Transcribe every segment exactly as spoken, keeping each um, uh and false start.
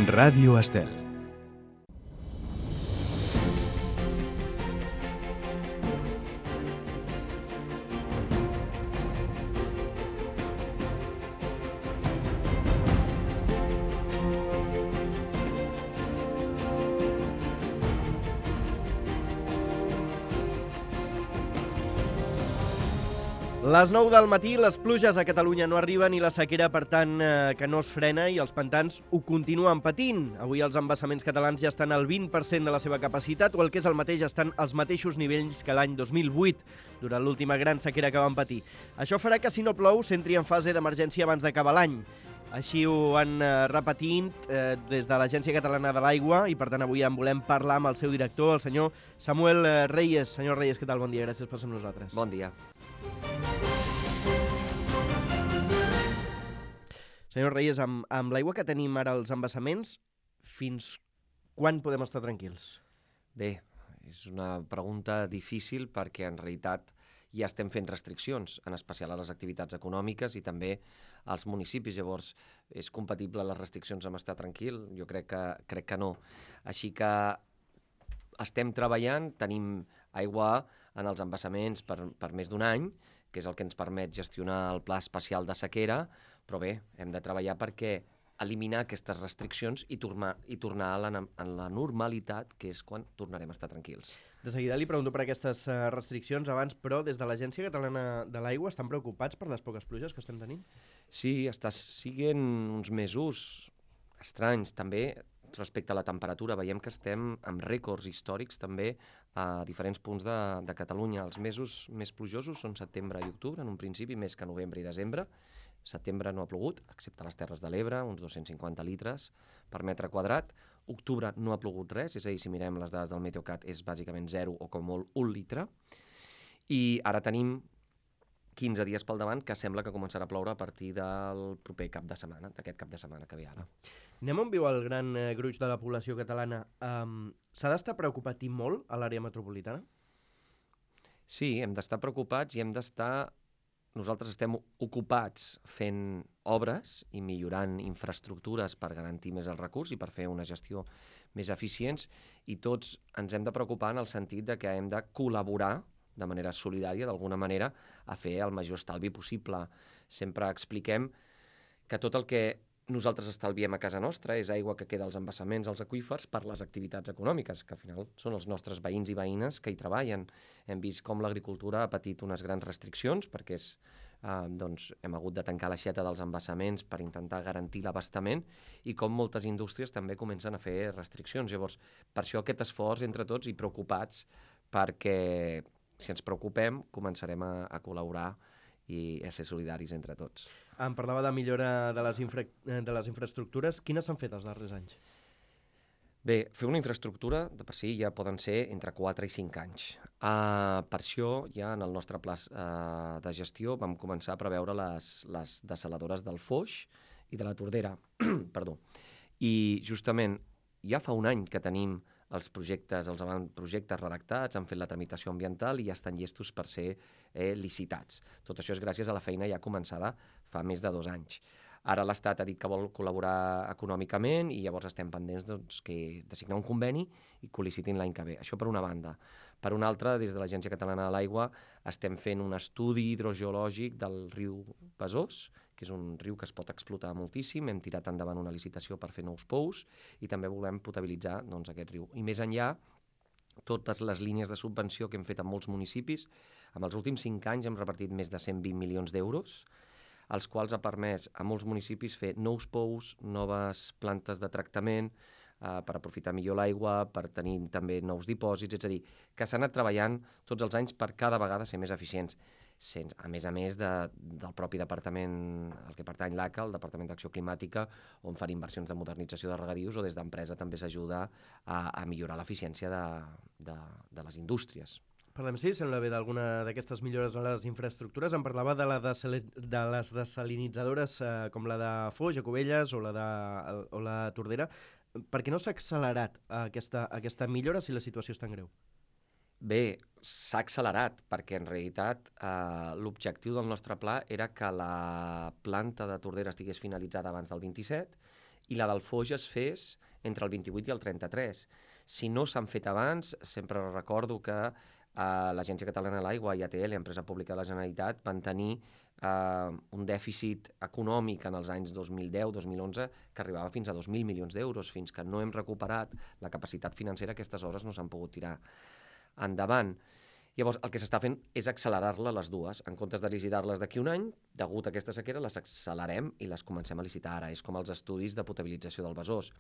Ràdio Estel. Les nou del matí, les pluges a Catalunya no arriben i la sequera, per tant, eh, que no es frena i els pantans ho continuen patint. Avui els embassaments catalans ja estan al vint per cent de la seva capacitat, o el que és el mateix, estan als mateixos nivells que l'any dos mil vuit, durant l'última gran sequera que van patir. Això farà que, si no plou, s'entri en fase d'emergència abans d'acabar l'any. Així ho van eh, repetint eh, des de l'Agència Catalana de l'Aigua i, per tant, avui en volem parlar amb el seu director, el senyor Samuel eh, Reyes. Senyor Reyes, què tal? Bon dia, gràcies per ser amb nosaltres. Bon dia. Senyor Reyes, amb, amb l'aigua que tenim ara als embassaments, fins quan podem estar tranquils? Bé, és una pregunta difícil perquè en realitat ja estem fent restriccions, en especial a les activitats econòmiques i també als municipis. Llavors, és compatible les restriccions amb estar tranquil? Jo crec que, crec que no. Així que estem treballant, tenim aigua en els embassaments per, per més d'un any, que és el que ens permet gestionar el pla especial de sequera, però bé, hem de treballar perquè eliminar aquestes restriccions i tornar, i tornar a la, a la normalitat, que és quan tornarem a estar tranquils. De seguida li pregunto per aquestes uh, restriccions abans, però des de l'Agència Catalana de l'Aigua estan preocupats per les poques pluges que estem tenint? Sí, està siguent uns mesos estranys també respecte a la temperatura. Veiem que estem amb rècords històrics també a diferents punts de, de Catalunya. Els mesos més plujosos són setembre i octubre, en un principi, més que novembre i desembre. Setembre no ha plogut, excepte a les Terres de l'Ebre, uns dos-cents cinquanta litres per metre quadrat. Octubre no ha plogut res, és a dir, si mirem les dades del Meteocat és bàsicament zero o com molt un litre. I ara tenim quinze dies pel davant que sembla que començarà a ploure a partir del proper cap de setmana, d'aquest cap de setmana que ve ara. Anem on viu el gran eh, gruix de la població catalana. Um, S'ha d'estar preocupat i molt a l'àrea metropolitana? Sí, hem d'estar preocupats i hem d'estar... Nosaltres estem ocupats fent obres i millorant infraestructures per garantir més el recurs i per fer una gestió més eficients, i tots ens hem de preocupar en el sentit de que hem de col·laborar de manera solidària, d'alguna manera, a fer el major estalvi possible. Sempre expliquem que tot el que nosaltres estalviem a casa nostra és aigua que queda als embassaments, als aqüífers, per les activitats econòmiques, que al final són els nostres veïns i veïnes que hi treballen. Hem vist com l'agricultura ha patit unes grans restriccions perquè és, eh, doncs, hem hagut de tancar l'aixeta dels embassaments per intentar garantir l'abastament, i com moltes indústries també comencen a fer restriccions. Llavors, per això aquest esforç entre tots i preocupats, perquè si ens preocupem començarem a, a col·laborar i a ser solidaris entre tots. Em parlava de millora de les, infra... de les infraestructures. Quines s'han fet els darrers anys? Bé, fer una infraestructura de per si ja poden ser entre quatre i cinc anys. Uh, per això ja en el nostre pla uh, de gestió vam començar a preveure les, les dessaladores del Foix i de la Tordera. Perdó. I justament ja fa un any que tenim els projectes, els avantprojectes redactats, han fet la tramitació ambiental i ja estan llestos per ser eh, licitats. Tot això és gràcies a la feina ja començada fa més de dos anys. Ara l'Estat ha dit que vol col·laborar econòmicament i llavors estem pendents doncs, que, de signar un conveni i que ho licitin l'any que ve. Això per una banda. Per una altra, des de l'Agència Catalana de l'Aigua estem fent un estudi hidrogeològic del riu Besòs, que és un riu que es pot explotar moltíssim. Hem tirat endavant una licitació per fer nous pous i també volem potabilitzar doncs, aquest riu. I més enllà, totes les línies de subvenció que hem fet en molts municipis, en els últims cinc anys hem repartit més de cent vint milions d'euros, els quals ha permès a molts municipis fer nous pous, noves plantes de tractament, eh, per aprofitar millor l'aigua, per tenir també nous dipòsits, és a dir, que s'ha anat treballant tots els anys per cada vegada ser més eficients. Sense, a més a més de, del propi departament al que pertany l'A C A, el Departament d'Acció Climàtica, on fan inversions de modernització de regadius, o des d'empresa també s'ajuda a, a millorar l'eficiència de, de, de les indústries. Parlem, sí, sembla bé d'alguna d'aquestes millores a les infraestructures. Em parlava de, la desal... de les desalinitzadores eh, com la de Foix, a Cubelles, o la de o la Tordera. Per què no s'ha accelerat aquesta, aquesta millora si la situació és tan greu? Bé, s'ha accelerat perquè en realitat eh, l'objectiu del nostre pla era que la planta de Tordera estigués finalitzada abans del vint-i-set i la del Foix es fes entre el vint-i-vuit i el trenta-tres. Si no s'han fet abans, sempre recordo que eh, l'Agència Catalana de l'Aigua i A T L, empresa pública de la Generalitat, van tenir eh, un dèficit econòmic en els anys dos mil deu dos mil onze que arribava fins a dos mil milions d'euros. Fins que no hem recuperat la capacitat financera, aquestes obres no s'han pogut tirar endavant. Llavors, el que s'està fent és accelerar-la les dues. En comptes de licitar-les d'aquí un any, degut a aquesta sequera, les accelerem i les comencem a licitar ara. És com els estudis de potabilització del Besòs.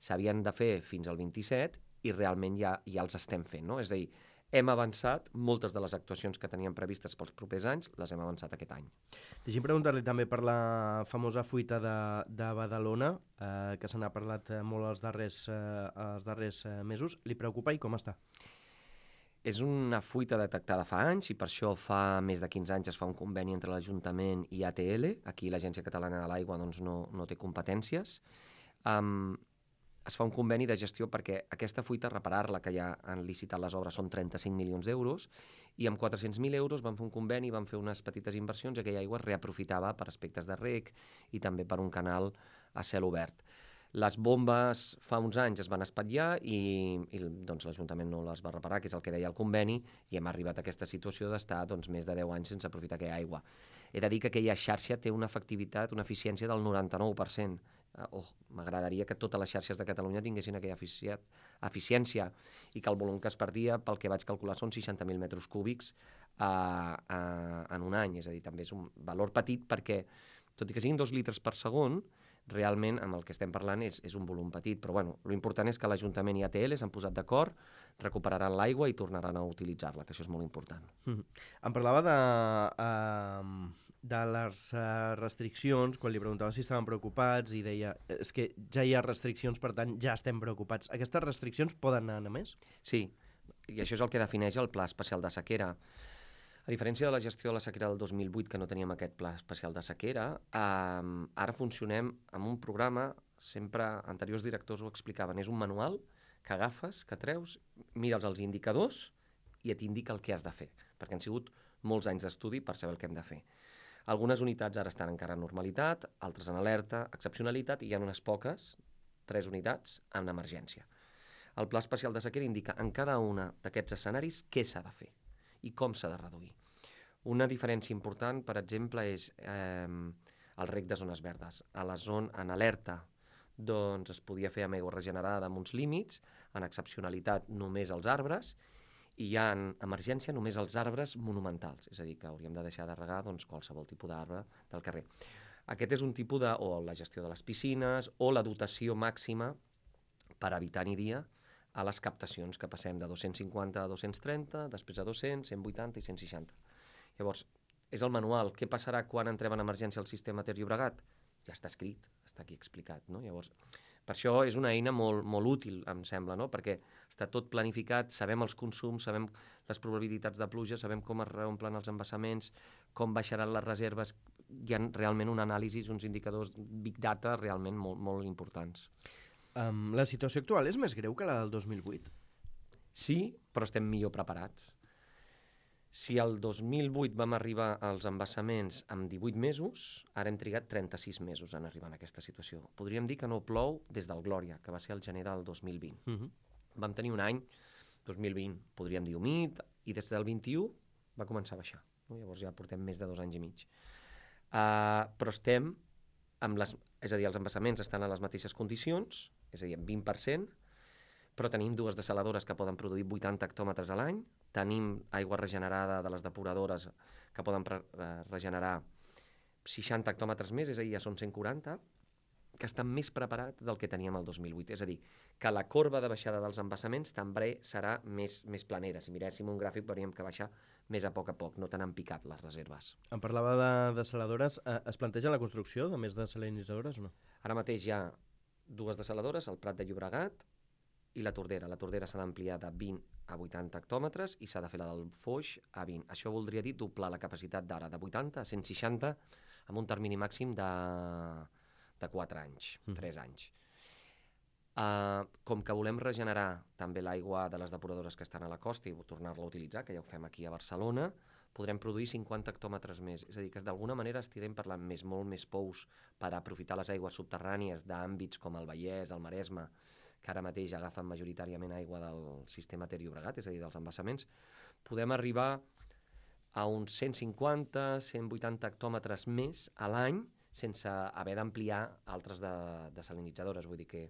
S'havien de fer fins al vint-i-set i realment ja, ja els estem fent, no? És a dir, hem avançat, moltes de les actuacions que teníem previstes pels propers anys, les hem avançat aquest any. Deixi'm preguntar-li també per la famosa fuita de, de Badalona, eh, que se n'ha parlat molt els darrers, eh, els darrers eh, mesos. Li preocupa i com està? És una fuita detectada fa anys i per això fa més de quinze anys es fa un conveni entre l'Ajuntament i A T L. Aquí l'Agència Catalana de l'Aigua doncs, no, no té competències. Um, es fa un conveni de gestió perquè aquesta fuita, reparar-la, que ja han licitat les obres, són trenta-cinc milions d'euros, i amb quatre-cents mil euros van fer un conveni, van fer unes petites inversions i aquella aigua es reaprofitava per aspectes de reg i també per un canal a cel obert. Les bombes fa uns anys es van espatllar i, i doncs, l'Ajuntament no les va reparar, que és el que deia el conveni, i hem arribat a aquesta situació d'estar doncs, més de deu anys sense aprofitar aquella aigua. He de dir que aquella xarxa té una efectivitat, una eficiència del noranta-nou per cent. Oh, m'agradaria que totes les xarxes de Catalunya tinguessin aquella eficiència i que el volum que es perdia, pel que vaig calcular, són seixanta mil metres cúbics uh, uh, en un any. És a dir, també és un valor petit perquè, tot i que siguin dos litres per segon, realment amb el que estem parlant és, és un volum petit, però bueno, l'important és que l'Ajuntament i A T L s'han posat d'acord, recuperaran l'aigua i tornaran a utilitzar-la, que això és molt important. Mm. Em parlava de, uh, de les uh, restriccions, quan li preguntava si estaven preocupats i deia, és que ja hi ha restriccions, per tant ja estem preocupats. Aquestes restriccions poden anar a més? Sí, i això és el que defineix el Pla Especial de Sequera. A diferència de la gestió de la sequera del dos mil vuit, que no teníem aquest pla especial de sequera, eh, ara funcionem amb un programa, sempre anteriors directors ho explicaven, és un manual que agafes, que treus, mires els indicadors i et indica el que has de fer, perquè han sigut molts anys d'estudi per saber el que hem de fer. Algunes unitats ara estan encara en normalitat, altres en alerta, excepcionalitat, i hi ha unes poques, tres unitats, en emergència. El Pla Especial de Sequera indica en cada una d'aquests escenaris què s'ha de fer i com s'ha de reduir. Una diferència important, per exemple, és eh, el reg de zones verdes. A la zona en alerta doncs, es podia fer amb aigua regenerada amb uns límits, en excepcionalitat només els arbres, i ja en emergència només els arbres monumentals, és a dir, que hauríem de deixar de regar doncs, qualsevol tipus d'arbre del carrer. Aquest és un tipus de, o la gestió de les piscines, o la dotació màxima per habitant i dia a les captacions, que passem de dos-cents cinquanta a dos-cents trenta, després a dos-cents, cent vuitanta i cent seixanta. Llavors, és el manual. Què passarà quan entrem en emergència al sistema Ter Llobregat? Ja està escrit, està aquí explicat, no? Llavors, per això és una eina molt, molt útil, em sembla, no? Perquè està tot planificat, sabem els consums, sabem les probabilitats de pluja, sabem com es reomplen els embassaments, com baixaran les reserves. Hi ha realment un anàlisi, uns indicadors big data realment molt, molt importants. Um, la situació actual és més greu que la del dos mil vuit? Sí, però estem millor preparats. Si el dos mil vuit vam arribar als embassaments amb divuit mesos, ara hem trigat trenta-sis mesos en arribar a aquesta situació. Podríem dir que no plou des del Glòria, que va ser el gener del dos mil vint. Uh-huh. Vam tenir un any, dos mil vint, podríem dir humit, i des del vint-i-u va començar a baixar. No? Llavors ja portem més de dos anys i mig. Uh, però estem, amb les, és a dir, els embassaments estan a les mateixes condicions, és a dir, amb vint per cent, però tenim dues desaladores que poden produir vuitanta hectòmetres a l'any, tenim aigua regenerada de les depuradores que poden re regenerar seixanta hectòmetres més, és a dir, ja són cent quaranta, que estan més preparats del que teníem el dos mil vuit. És a dir, que la corba de baixada dels embassaments també serà més, més planera. Si miréssim un gràfic veuríem que baixa més a poc a poc, no tan han picat les reserves. Em parlava de desaladores. Es planteja la construcció de més desalinitzadores o no? Ara mateix hi ha dues desaladores, el Prat de Llobregat i la Tordera. La Tordera s'ha d'ampliar de vint a vuitanta hectòmetres i s'ha de fer la del Foix a vint. Això voldria dir doblar la capacitat d'ara de vuitanta a cent seixanta amb un termini màxim de, de quatre anys, mm. tres anys. Uh, com que volem regenerar també l'aigua de les depuradores que estan a la costa i tornar-la a utilitzar, que ja ho fem aquí a Barcelona, podrem produir cinquanta hectòmetres més. És a dir, que d'alguna manera estirem parlant més, molt més pous per aprofitar les aigües subterrànies d'àmbits com el Vallès, el Maresme, que ara mateix agafen majoritàriament aigua del sistema Ter Llobregat, és a dir, dels embassaments. Podem arribar a uns cent cinquanta a cent vuitanta hectòmetres més a l'any sense haver d'ampliar altres de, desalinitzadores. Vull dir que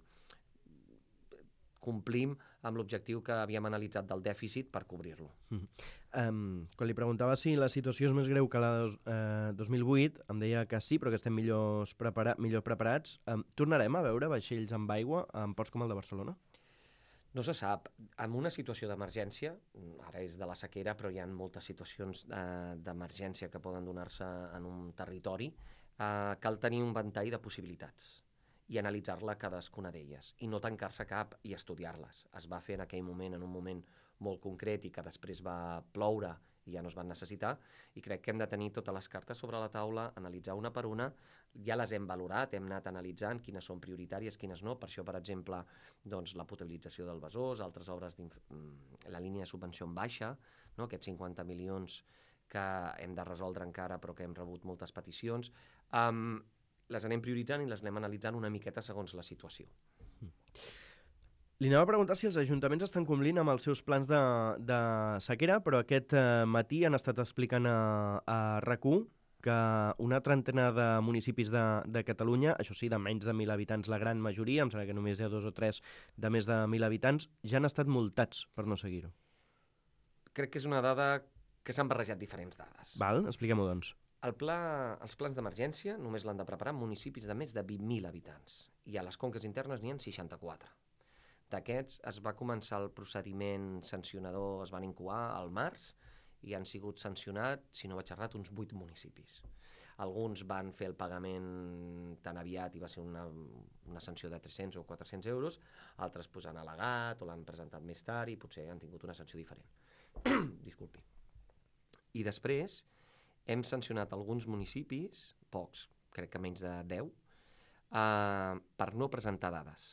complim amb l'objectiu que havíem analitzat del dèficit per cobrir-lo. Mm. Um, quan li preguntava si la situació és més greu que la de dos, eh, dos mil vuit, em deia que sí, però que estem millors prepara millor preparats. Um, tornarem a veure vaixells amb aigua en ports com el de Barcelona? No se sap. En una situació d'emergència, ara és de la sequera, però hi ha moltes situacions eh, d'emergència que poden donar-se en un territori, eh, cal tenir un ventall de possibilitats i analitzar-la cadascuna d'elles, i no tancar-se cap i estudiar-les. Es va fer en aquell moment, en un moment molt concret, i que després va ploure i ja no es van necessitar, i crec que hem de tenir totes les cartes sobre la taula, analitzar una per una, ja les hem valorat, hem anat analitzant quines són prioritàries, quines no. Per això, per exemple, doncs, la potabilització del Besòs, altres obres, la línia de subvenció en baixa, no? Aquests cinquanta milions que hem de resoldre encara, però que hem rebut moltes peticions. Um, les anem prioritzant i les anem analitzant una miqueta segons la situació. Li anava a preguntar si els ajuntaments estan complint amb els seus plans de, de sequera, però aquest eh, matí han estat explicant a, a RAC u que una trentena de municipis de, de Catalunya, això sí, de menys de mil habitants la gran majoria, em sembla que només hi ha dos o tres de més de mil habitants, ja han estat multats per no seguir-ho. Crec que és una dada que s'han barrejat diferents dades. Val, expliquem-ho, doncs. El pla, els plans d'emergència només l'han de preparar municipis de més de vint mil habitants, i a les conques internes n'hi ha seixanta-quatre. D'aquests es va començar el procediment sancionador, es van incoar al març, i han sigut sancionats, si no vaig errat, uns vuit municipis. Alguns van fer el pagament tan aviat i va ser una, una sanció de tres-cents o quatre-cents euros, altres pues, han al·legat o l'han presentat més tard i potser han tingut una sanció diferent. Disculpi. I després hem sancionat alguns municipis, pocs, crec que menys de deu, eh, per no presentar dades.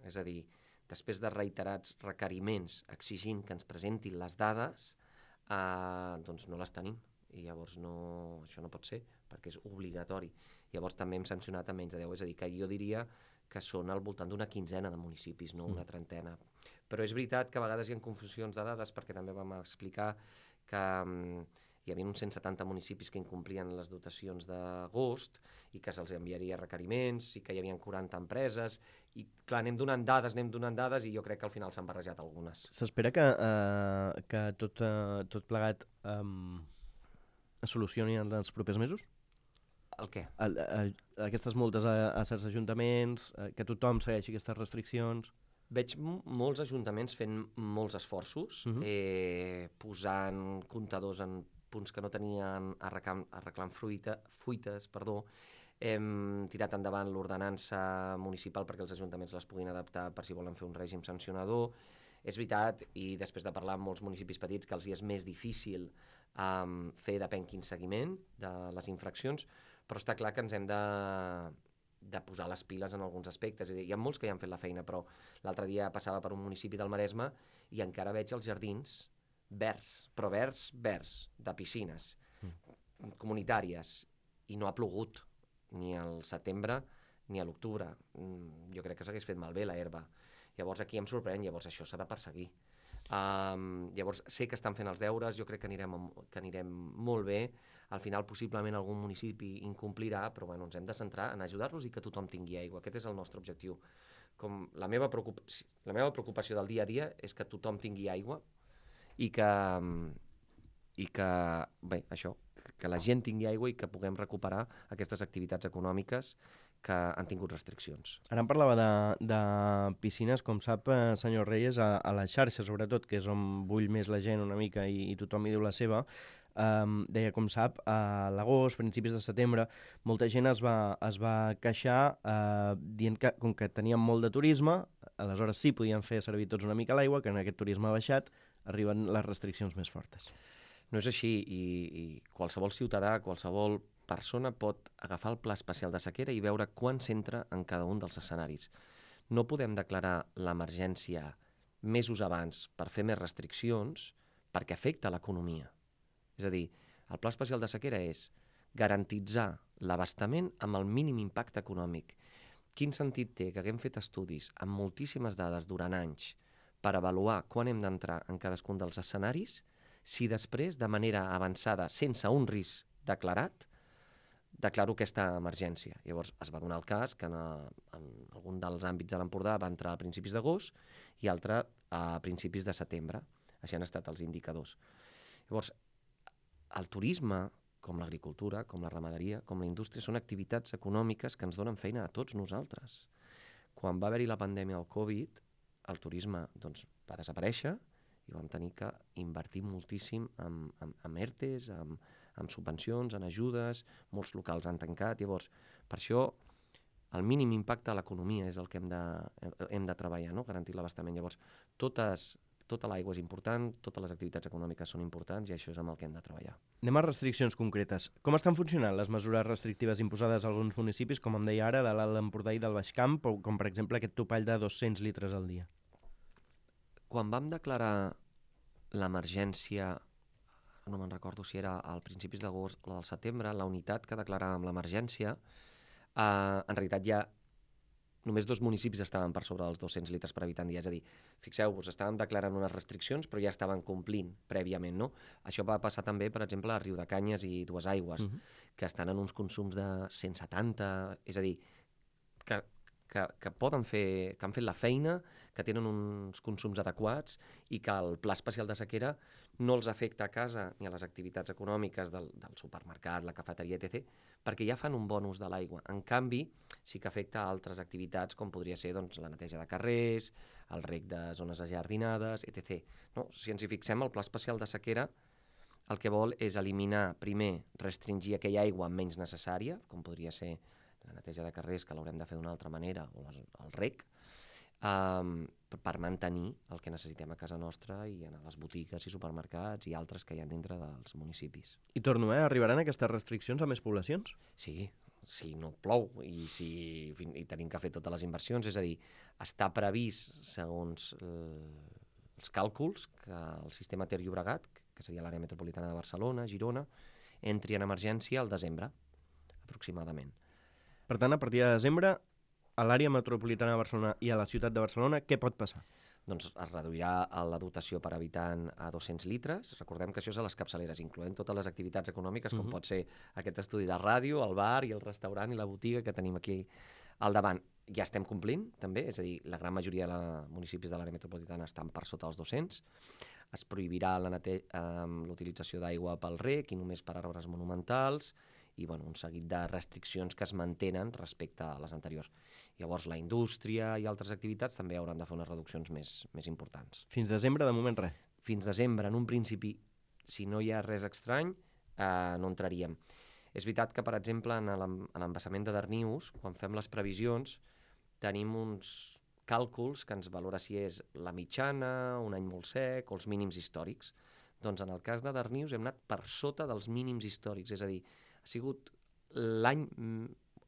És a dir, després de reiterats requeriments exigint que ens presentin les dades, eh, doncs no les tenim. I llavors no, això no pot ser, perquè és obligatori. Llavors també hem sancionat a menys de deu, és a dir, que jo diria que són al voltant d'una quinzena de municipis, no una trentena. Però és veritat que a vegades hi ha confusions de dades, perquè també vam explicar que um, hi havia uns cent setanta municipis que incomplien les dotacions d'agost i que se'ls enviaria requeriments i que hi havia quaranta empreses i clar, anem donant dades, anem donant dades i jo crec que al final s'han barrejat algunes. S'espera que, uh, que tot, uh, tot plegat um, es solucioni en els propers mesos? El què? El, a, aquestes multes a, a certs ajuntaments, uh, que tothom segueixi aquestes restriccions... Veig molts ajuntaments fent molts esforços, uh-huh. eh, posant comptadors en punts que no tenien, arreglant, arreglant fruita, fuites, perdó. Hem tirat endavant l'ordenança municipal perquè els ajuntaments les puguin adaptar per si volen fer un règim sancionador. És veritat, i després de parlar amb molts municipis petits, que els hi és més difícil um, fer depèn quin seguiment de les infraccions, però està clar que ens hem de... de posar les piles en alguns aspectes. Hi ha molts que ja han fet la feina, però l'altre dia passava per un municipi del Maresme i encara veig els jardins verds, però verds, verds, de piscines mm. comunitàries, i no ha plogut ni al setembre ni a l'octubre. Jo crec que s'hagués fet malbé la herba. Llavors aquí em sorprèn, llavors això s'ha de perseguir. Um, llavors sé que estan fent els deures, jo crec que anirem, que anirem molt bé. Al final possiblement algun municipi incomplirà, però bueno, ens hem de centrar en ajudar-los i que tothom tingui aigua. Aquest és el nostre objectiu. Com la meva preocupació, la meva preocupació del dia a dia és que tothom tingui aigua i que, i que bé, això, que la gent tingui aigua i que puguem recuperar aquestes activitats econòmiques que han tingut restriccions. Ara em parlava de, de piscines, com sap, eh, senyor Reyes, a, a la xarxa, sobretot, que és on bull més la gent una mica i, i tothom hi diu la seva. Um, deia, com sap, a l'agost, principis de setembre, molta gent es va, es va queixar uh, dient que, com que teníem molt de turisme, aleshores sí podien fer servir tots una mica l'aigua, que en aquest turisme ha baixat, arriben les restriccions més fortes. No és així, i, i qualsevol ciutadà, qualsevol persona pot agafar el pla especial de sequera i veure quan s'entra en cada un dels escenaris. No podem declarar l'emergència mesos abans per fer més restriccions perquè afecta l'economia. És a dir, El Pla Especial de Sequera és garantitzar l'abastament amb el mínim impacte econòmic. Quin sentit té que haguem fet estudis amb moltíssimes dades durant anys per avaluar quan hem d'entrar en cadascun dels escenaris si després, de manera avançada, sense un risc declarat, declaro aquesta emergència. Llavors es va donar el cas que en, en algun dels àmbits de l'Empordà va entrar a principis d'agost i altre a principis de setembre. Així han estat els indicadors. Llavors, el turisme, com l'agricultura, com la ramaderia, com la indústria, són activitats econòmiques que ens donen feina a tots nosaltres. Quan va haver-hi la pandèmia del Covid, el turisme doncs, va desaparèixer i vam tenir que invertir moltíssim en, en, en ERTEs, en, en subvencions, en ajudes, molts locals han tancat. Llavors, per això, el mínim impacte a l'economia és el que hem de, hem de treballar, no? Garantir l'abastament. Llavors, totes, tota l'aigua és important, totes les activitats econòmiques són importants i això és amb el que hem de treballar. Anem a restriccions concretes. Com estan funcionant les mesures restrictives imposades a alguns municipis, com em deia ara, de l'Alt Empordà i del Baix Camp, o com per exemple aquest topall de dos-cents litres al dia? Quan vam declarar l'emergència, no me'n recordo si era al principis d'agost o del setembre, la unitat que declaràvem l'emergència, eh, en realitat ja només dos municipis estaven per sobre dels dos-cents litres per habitant dia. És a dir, fixeu-vos, estàvem declarant unes restriccions però ja estaven complint prèviament, no? Això va passar també, per exemple, a Riudecanyes i Duesaigües, uh-huh. que estan en uns consums de cent setanta, és a dir, que, que, que poden fer, que han fet la feina, que tenen uns consums adequats i que el Pla Especial de Sequera no els afecta a casa ni a les activitats econòmiques del, del supermercat, la cafeteria, etcètera, perquè ja fan un bon ús de l'aigua. En canvi, sí que afecta a altres activitats, com podria ser doncs, la neteja de carrers, el reg de zones ajardinades, etcètera. No? Si ens hi fixem, el Pla Especial de Sequera el que vol és eliminar, primer, restringir aquella aigua menys necessària, com podria ser la neteja de carrers, que l'haurem de fer d'una altra manera, o les, el reg, um, per mantenir el que necessitem a casa nostra i a les botigues i supermercats i altres que hi ha dintre dels municipis. I torno, eh? Arribaran aquestes restriccions a més poblacions? Sí, si no plou i si i tenim que fer totes les inversions, és a dir, està previst, segons eh, els càlculs, que el sistema Ter Llobregat, que seria l'àrea metropolitana de Barcelona, Girona, entri en emergència al desembre, aproximadament. Per tant, a partir de desembre, a l'àrea metropolitana de Barcelona i a la ciutat de Barcelona, què pot passar? Doncs es reduirà la dotació per habitant a dos-cents litres. Recordem que això és a les capçaleres, incloent totes les activitats econòmiques, com uh-huh. pot ser aquest estudi de ràdio, el bar i el restaurant i la botiga que tenim aquí al davant. Ja estem complint, també, és a dir, la gran majoria de la municipis de l'àrea metropolitana estan per sota els dos-cents. Es prohibirà la nete- eh, l'utilització d'aigua pel reg i només per arbres monumentals, i bueno, un seguit de restriccions que es mantenen respecte a les anteriors. Llavors la indústria i altres activitats també hauran de fer unes reduccions més, més importants. Fins desembre, de moment, res? Fins desembre, en un principi, si no hi ha res estrany, eh, no entraríem. És veritat que, per exemple, en l'embassament de Darnius, quan fem les previsions, tenim uns càlculs que ens valora si és la mitjana, un any molt sec o els mínims històrics. Doncs en el cas de Darnius hem anat per sota dels mínims històrics, és a dir, ha sigut l'any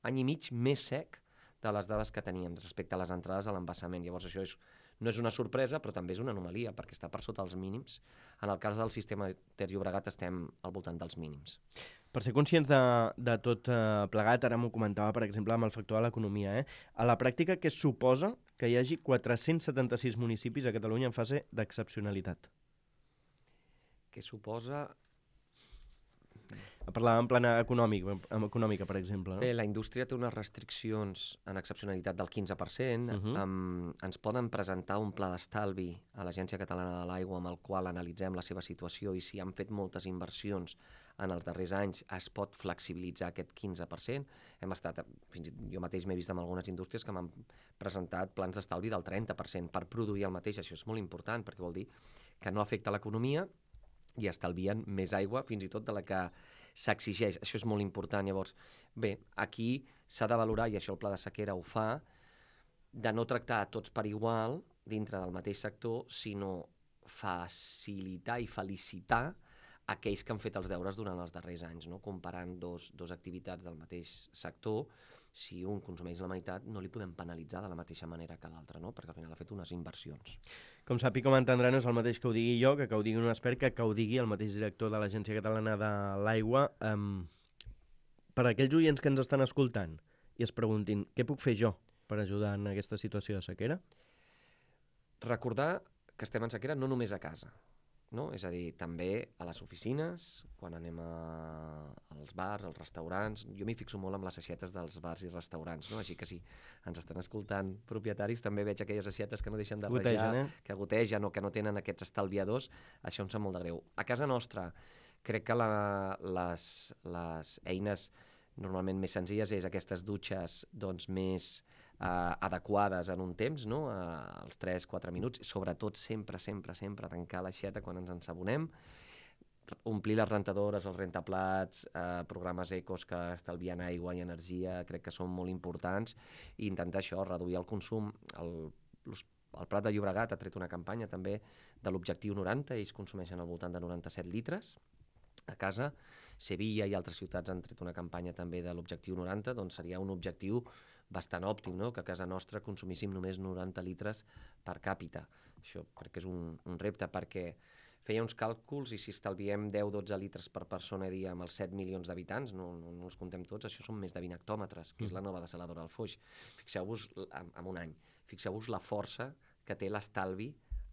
any i mig més sec de les dades que teníem respecte a les entrades a l'embassament. Llavors això és, no és una sorpresa, però també és una anomalia, perquè està per sota els mínims. En el cas del sistema Ter Llobregat estem al voltant dels mínims. Per ser conscients de, de tot eh, plegat, ara m'ho comentava, per exemple, amb el factor de l'economia, eh? A la pràctica, què suposa que hi hagi quatre-cents setanta-sis municipis a Catalunya en fase d'excepcionalitat? Què suposa... Parlava en plana econòmic, econòmica, per exemple. No? Bé, la indústria té unes restriccions en excepcionalitat del quinze per cent. Uh-huh. um, ens poden presentar un pla d'estalvi a l'Agència Catalana de l'Aigua amb el qual analitzem la seva situació i si han fet moltes inversions en els darrers anys es pot flexibilitzar aquest quinze per cent. Hem estat, fins i tot jo mateix m'he vist amb algunes indústries que m'han presentat plans d'estalvi del trenta per cent per produir el mateix. Això és molt important perquè vol dir que no afecta l'economia i estalvien més aigua fins i tot de la que s'exigeix. Això és molt important. Llavors, bé, aquí s'ha de valorar, i això el Pla de Sequera ho fa, de no tractar a tots per igual dintre del mateix sector, sinó facilitar i felicitar aquells que han fet els deures durant els darrers anys, no? Comparant dos, dos activitats del mateix sector si un consumeix la meitat, no li podem penalitzar de la mateixa manera que l'altre, no? Perquè al final ha fet unes inversions. Com sap i com entendrà, no és el mateix que ho digui jo, que que ho digui un expert, que que ho digui el mateix director de l'Agència Catalana de l'Aigua. Um, per a aquells oients que ens estan escoltant i es preguntin què puc fer jo per ajudar en aquesta situació de sequera? Recordar que estem en sequera no només a casa, no? És a dir, també a les oficines, quan anem a, als bars, als restaurants. Jo m'hi fixo molt amb les aixetes dels bars i restaurants, no? Així que si ens estan escoltant propietaris, també veig aquelles aixetes que no deixen de Gotegen, rajar, eh? que gotegen o que no tenen aquests estalviadors. Això em sap molt de greu. A casa nostra, crec que la, les, les eines normalment més senzilles és aquestes dutxes doncs, més Uh, adequades en un temps, no? Uh, als tres quatre minuts, sobretot sempre, sempre, sempre tancar l'aixeta quan ens ensabonem, omplir les rentadores, els rentaplats, uh, programes ecos que estalvien aigua i energia, crec que són molt importants, i intentar això, reduir el consum. El, el Prat de Llobregat ha tret una campanya també de l'objectiu noranta, ells consumeixen al voltant de noranta-set litres a casa. Sevilla i altres ciutats han tret una campanya també de l'objectiu noranta, doncs seria un objectiu bastant òptim, no? Que a casa nostra consumíssim només noranta litres per càpita. Això crec que és un, un repte, perquè feia uns càlculs i si estalviem deu dotze litres per persona a dia amb els set milions d'habitants, no, no, no els contem tots, això són més de vint hectòmetres, que és la nova desaladora del Foix. Fixeu-vos, en, en un any, fixeu-vos la força que té l'estalvi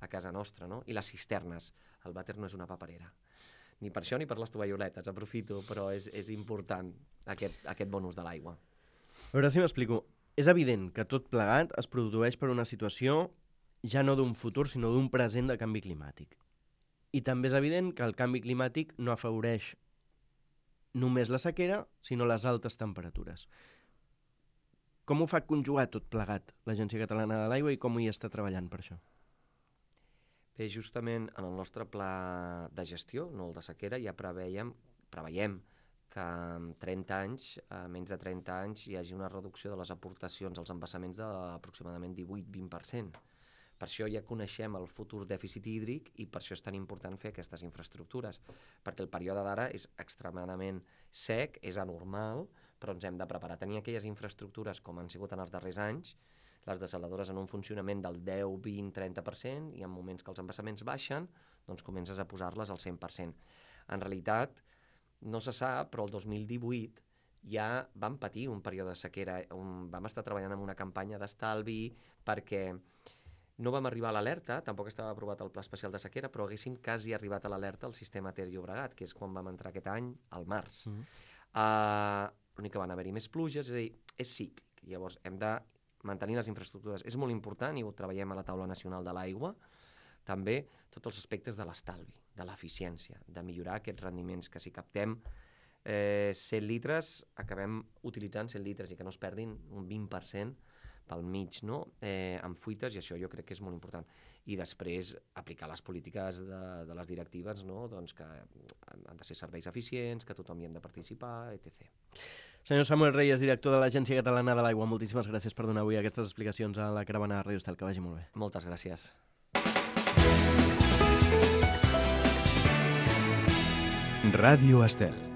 a casa nostra, no? I les cisternes. El vàter no és una paperera. Ni per això ni per les tovalloletes, aprofito, però és, és important aquest, aquest bon ús de l'aigua. A veure si m'explico. És evident que tot plegat es produeix per una situació ja no d'un futur, sinó d'un present de canvi climàtic. I també és evident que el canvi climàtic no afavoreix només la sequera, sinó les altes temperatures. Com ho fa conjugar tot plegat l'Agència Catalana de l'Aigua i com hi està treballant per això? Bé, justament en el nostre pla de gestió, no el de sequera, ja preveiem, preveiem que en trenta anys, a menys de trenta anys, hi hagi una reducció de les aportacions als embassaments d'aproximadament divuit a vint per cent. Per això ja coneixem el futur dèficit hídric i per això és tan important fer aquestes infraestructures, perquè el període d'ara és extremadament sec, és anormal, però ens hem de preparar. Tenir aquelles infraestructures com han sigut en els darrers anys, les desaladores en un funcionament del deu, vint, trenta per cent, i en moments que els embassaments baixen, doncs comences a posar-les al cent per cent. En realitat, no se sap, però el dos mil divuit ja vam patir un període de sequera, on vam estar treballant en una campanya d'estalvi perquè no vam arribar a l'alerta, tampoc estava aprovat el Pla Especial de Sequera, però haguéssim quasi arribat a l'alerta al sistema Ter Llobregat, que és quan vam entrar aquest any, al març. Mm. Uh, L'únic que van haver-hi més pluges, és a dir, és cíclic. Llavors hem de mantenir les infraestructures. És molt important, i ho treballem a la Taula Nacional de l'Aigua, també tots els aspectes de l'estalvi, de l'eficiència, de millorar aquests rendiments, que si captem eh, cent litres, acabem utilitzant cent litres i que no es perdin un vint per cent pel mig, no? eh, amb fuites, i això jo crec que és molt important. I després aplicar les polítiques de, de les directives, no? Doncs que han de ser serveis eficients, que tothom hi hem de participar, etcètera. Senyor Samuel Reyes, director de l'Agència Catalana de l'Aigua, moltíssimes gràcies per donar avui aquestes explicacions a la Caravana de Ràdio Estel. Que vagi molt bé. Moltes gràcies. Ràdio Estel.